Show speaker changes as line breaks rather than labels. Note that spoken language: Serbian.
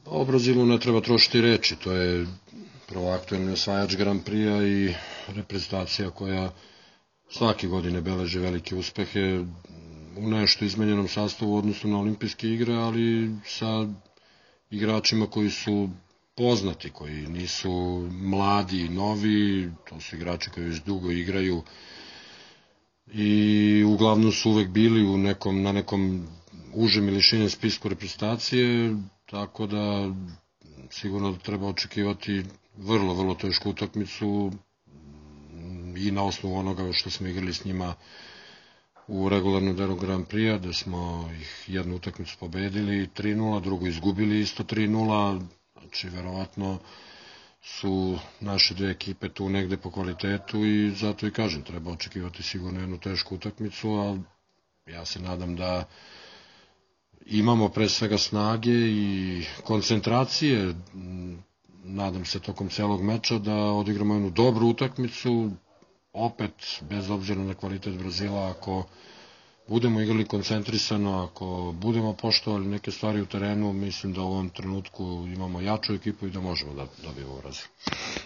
O Brazilu ne treba trošiti reči, to je prvo aktuelni osvajač Grand Prix-a i reprezentacija koja svake godine beleže velike uspehe u nešto izmenjenom sastavu u odnosu na olimpijske igre, ali sa igračima koji su poznati, koji nisu mladi i novi, to su igrači koji već dugo igraju i uglavnom su uvek bili na nekom užem ili širem spisku reprezentacije, tako da sigurno da treba očekivati vrlo, vrlo tešku utakmicu i na osnovu onoga što smo igrali s njima u regularnom delu Grand Prix-a, da smo ih jednu utakmicu pobedili 3-0, drugu izgubili isto 3-0, znači verovatno su naše dve ekipe tu negde po kvalitetu i zato i kažem, treba očekivati sigurno jednu tešku utakmicu, a ja se nadam da imamo pre svega snage i koncentracije, nadam se tokom celog meča da odigramo jednu dobru utakmicu, opet bez obzira na kvalitet Brazila, ako budemo igrali koncentrisano, ako budemo poštovali neke stvari u terenu, mislim da u ovom trenutku imamo jaču ekipu i da možemo da dobijemo Brazil.